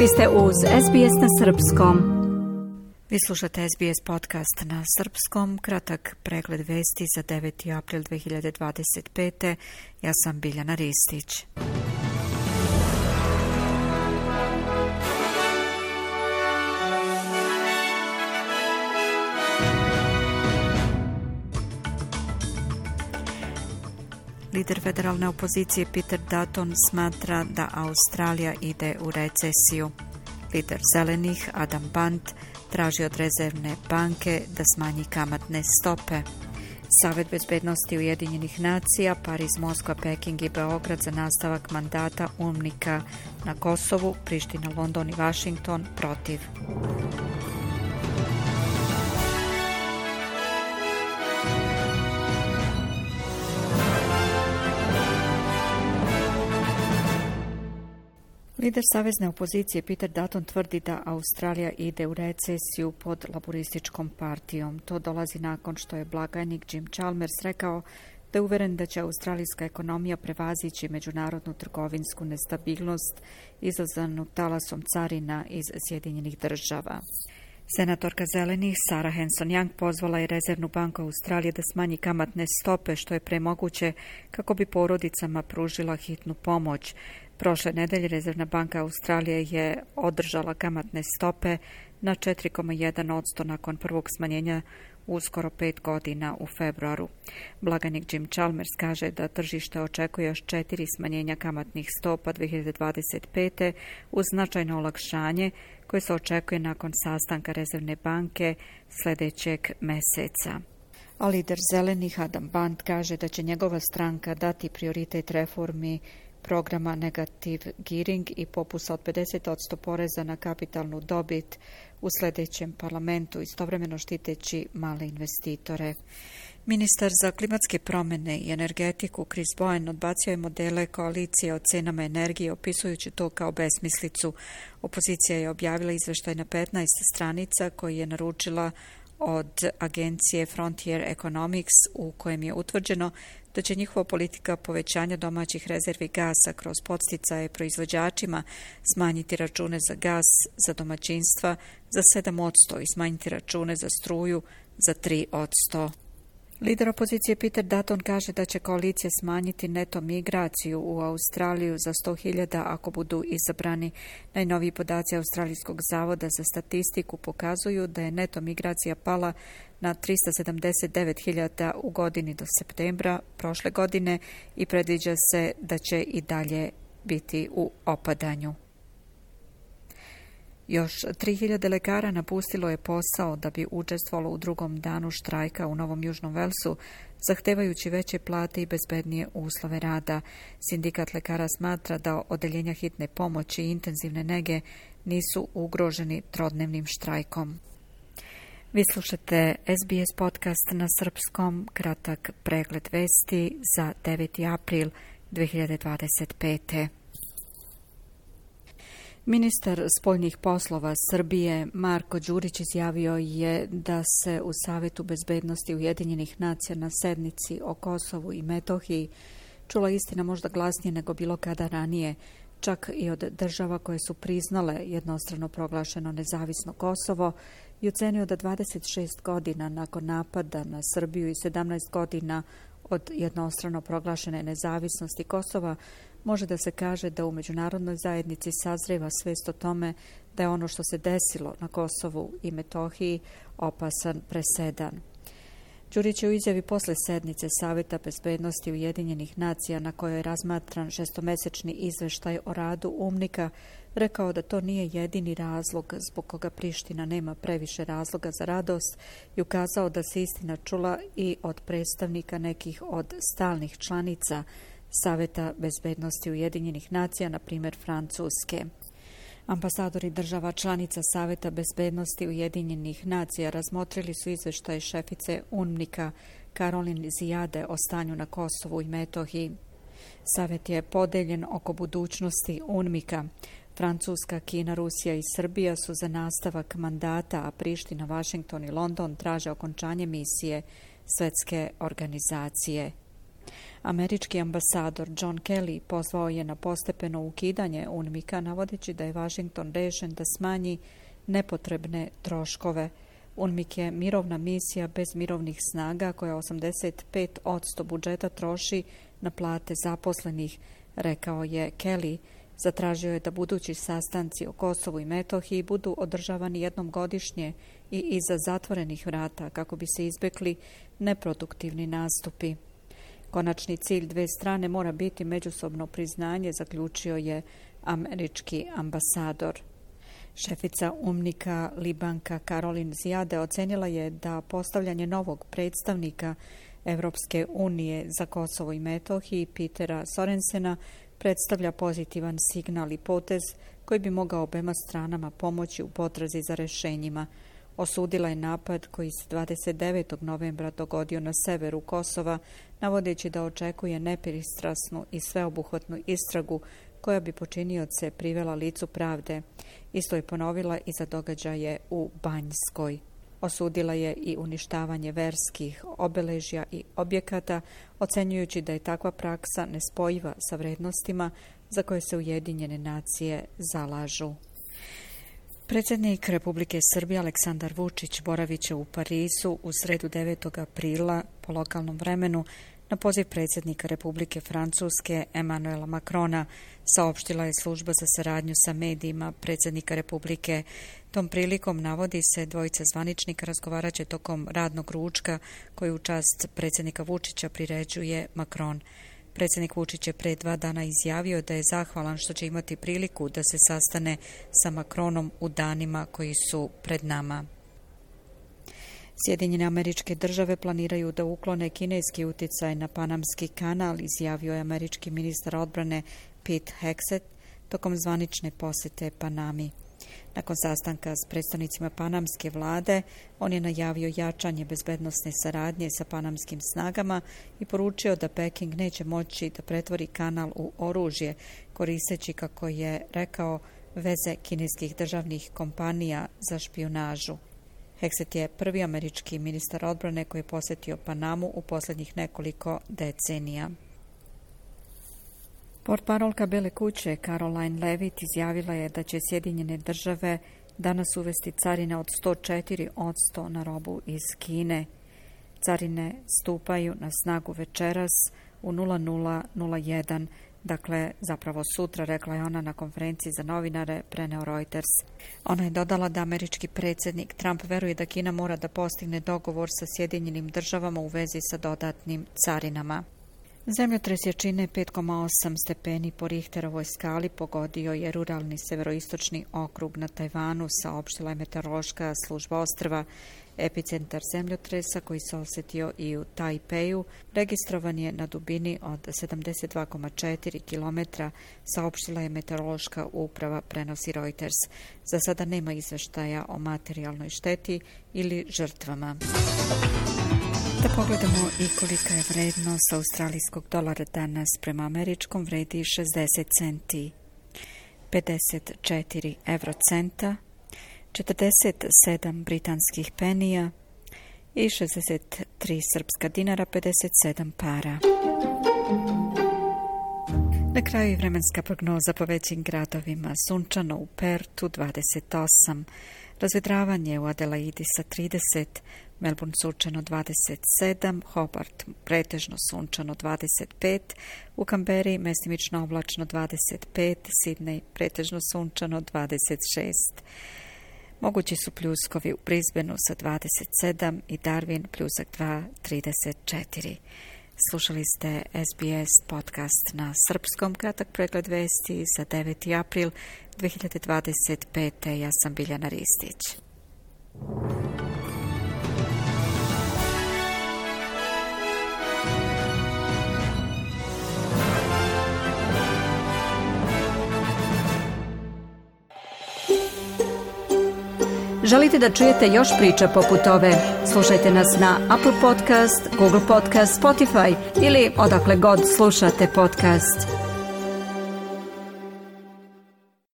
Vi ste uz SBS na srpskom. Vi slušate SBS podcast na srpskom, kratak pregled vesti za 9. april 2025. Ja sam Biljana Ristić. Lider federalne opozicije Peter Dutton smatra da Australija ide u recesiju. Lider zelenih Adam Band traži od rezervne banke da smanji kamatne stope. Savet bezbednosti Ujedinjenih nacija, Pariz, Moskva, Peking i Beograd za nastavak mandata UNMIK-a na Kosovu, Priština, London i Washington protiv. Lider savezne opozicije Peter Dutton tvrdi da Australija ide u recesiju pod laborističkom partijom. To dolazi nakon što je blagajnik Jim Chalmers rekao da je uveren da će australijska ekonomija prevazići međunarodnu trgovinsku nestabilnost izazvanu talasom carina iz Sjedinjenih država. Senatorka zelenih Sarah Hanson-Young pozvala je Rezervnu banku Australije da smanji kamatne stope što je premoguće kako bi porodicama pružila hitnu pomoć. Prošle nedelje Rezervna banka Australije je održala kamatne stope na 4,1% nakon prvog smanjenja uskoro 5 godina u februaru. Blagajnik Jim Chalmers kaže da tržište očekuje još 4 smanjenja kamatnih stopa 2025. uz značajno olakšanje koje se očekuje nakon sastanka Rezervne banke sljedećeg meseca. A lider zelenih Adam Band kaže da će njegova stranka dati prioritet reformi programa Negative Gearing i popusta od 50% poreza na kapitalnu dobit u sljedećem parlamentu, istovremeno štiteći male investitore. Ministar za klimatske promjene i energetiku Chris Bowen odbacio je modele koalicije o cenama energije, opisujući to kao besmislicu. Opozicija je objavila izveštaj na 15 stranica koji je naručila od agencije Frontier Economics u kojem je utvrđeno da će njihova politika povećanja domaćih rezervi gasa kroz podsticaje proizvođačima smanjiti račune za gas za domaćinstva za 7% i smanjiti račune za struju za 3%. Lider opozicije Peter Dutton kaže da će koalicija smanjiti neto migraciju u Australiju za 100.000 ako budu izabrani. Najnoviji podaci Australijskog zavoda za statistiku pokazuju da je neto migracija pala na 379.000 u godini do septembra prošle godine i predviđa se da će i dalje biti u opadanju. Još 3.000 lekara napustilo je posao da bi učestvovalo u drugom danu štrajka u Novom Južnom Velsu, zahtevajući veće plate i bezbednije uslove rada. Sindikat lekara smatra da odeljenja hitne pomoći i intenzivne nege nisu ugroženi trodnevnim štrajkom. Vi slušate SBS podcast na srpskom, kratak pregled vesti za 9. april 2025. Ministar spoljnih poslova Srbije Marko Đurić izjavio je da se u Savetu bezbednosti Ujedinjenih nacija na sednici o Kosovu i Metohiji čula istina možda glasnije nego bilo kada ranije, čak i od država koje su priznale jednostrano proglašeno nezavisno Kosovo, i ocenio da 26 godina nakon napada na Srbiju i 17 godina od jednostrano proglašene nezavisnosti Kosova može da se kaže da u međunarodnoj zajednici sazreva svest o tome da je ono što se desilo na Kosovu i Metohiji opasan presedan. Đurić je u izjavi posle sednice Saveta bezbednosti Ujedinjenih nacija na kojoj je razmatran šestomesečni izveštaj o radu UNMIK-a rekao da to nije jedini razlog zbog koga Priština nema previše razloga za radost i ukazao da se istina čula i od predstavnika nekih od stalnih članica Saveta bezbednosti Ujedinjenih nacija, na primjer Francuske. Ambasadori država članica Saveta bezbednosti Ujedinjenih nacija razmotrili su izveštaj šefice UNMIK-a Karolin Zijade o stanju na Kosovu i Metohiji. Savet je podeljen oko budućnosti UNMIK-a. Francuska, Kina, Rusija i Srbija su za nastavak mandata, a Priština, Washington i London traže okončanje misije Svetske organizacije. Američki ambasador John Kelly pozvao je na postepeno ukidanje UNMIK-a, navodeći da je Washington rešen da smanji nepotrebne troškove. UNMIK je mirovna misija bez mirovnih snaga koja 85% budžeta troši na plate zaposlenih, rekao je Kelly. Zatražio je da budući sastanci o Kosovu i Metohiji budu održavani jednom godišnje i iza zatvorenih vrata kako bi se izbjegli neproduktivni nastupi. Konačni cilj dve strane mora biti međusobno priznanje, zaključio je američki ambasador. Šefica UNMIK-a Libanka Karolin Zijade ocenila je da postavljanje novog predstavnika Evropske unije za Kosovo i Metohiji Petera Sorensena predstavlja pozitivan signal i potez koji bi mogao obema stranama pomoći u potrazi za rešenjima. Osudila je napad koji se 29. novembra dogodio na severu Kosova, navodeći da očekuje nepristrasnu i sveobuhvatnu istragu koja bi počinioce privela licu pravde. Isto je ponovila i za događaje u Banjskoj. Osudila je i uništavanje verskih obeležja i objekata, ocenjujući da je takva praksa nespojiva sa vrednostima za koje se Ujedinjene nacije zalažu. Predsjednik Republike Srbije Aleksandar Vučić boravit će u Parizu u sredu 9. aprila po lokalnom vremenu na poziv predsjednika Republike Francuske Emmanuela Macrona, saopštila je služba za saradnju sa medijima predsjednika Republike. Tom prilikom, navodi se, dvojica zvaničnika razgovarat će tokom radnog ručka koji u čast predsjednika Vučića priređuje Macron. Predsjednik Vučić je pre 2 dana izjavio da je zahvalan što će imati priliku da se sastane sa Macronom u danima koji su pred nama. Sjedinjene Američke Države planiraju da uklone kineski utjecaj na Panamski kanal, izjavio je američki ministar odbrane Pete Hegseth tokom zvanične posjete Panami. Nakon sastanka s predstavnicima panamske vlade, on je najavio jačanje bezbednosne saradnje sa panamskim snagama i poručio da Peking neće moći da pretvori kanal u oružje, koristeći, kako je rekao, veze kineskih državnih kompanija za špijunažu. Hegseth je prvi američki ministar odbrane koji je posjetio Panamu u posljednjih nekoliko decenija. Portparolka Bele kuće Caroline Levitt izjavila je da će Sjedinjene Države danas uvesti carine od 104% na robu iz Kine. Carine stupaju na snagu večeras u 00:01, dakle zapravo sutra, rekla je ona na konferenciji za novinare, preneo Reuters. Ona je dodala da američki predsjednik Trump veruje da Kina mora da postigne dogovor sa Sjedinjenim Državama u vezi sa dodatnim carinama. Zemljotres jačine 5,8 stepeni po Richterovoj skali pogodio je ruralni severoistočni okrug na Tajvanu, saopštila je meteorološka služba ostrva. Epicentar zemljotresa, koji se osjetio i u Tajpeju, registrovan je na dubini od 72,4 km, saopštila je meteorološka uprava, prenosi Reuters. Za sada nema izveštaja o materijalnoj šteti ili žrtvama. Da pogledamo i kolika je vrednost australijskog dolara danas prema američkom, vredi 60 centi, 54 eurocenta, 47 britanskih penija i 63 srpska dinara, 57 para. Na kraju i vremenska prognoza po većim gradovima. Sunčano u Pertu 28, razvedravanje u Adelaidi sa 30, Melbourne sunčano 27, Hobart pretežno sunčano 25, u Kamberi mestimično oblačno 25, Sidney pretežno sunčano 26. Mogući su pljuskovi u Brisbaneu sa 27 i Darwin pljusak 2, 34. Slušali ste SBS podcast na srpskom, kratak pregled vesti za 9. april 2025. Ja sam Biljana Ristić. Želite da čujete još priča poput ove? Slušajte nas na Apple Podcast, Google Podcast, Spotify ili odakle god slušate podcast.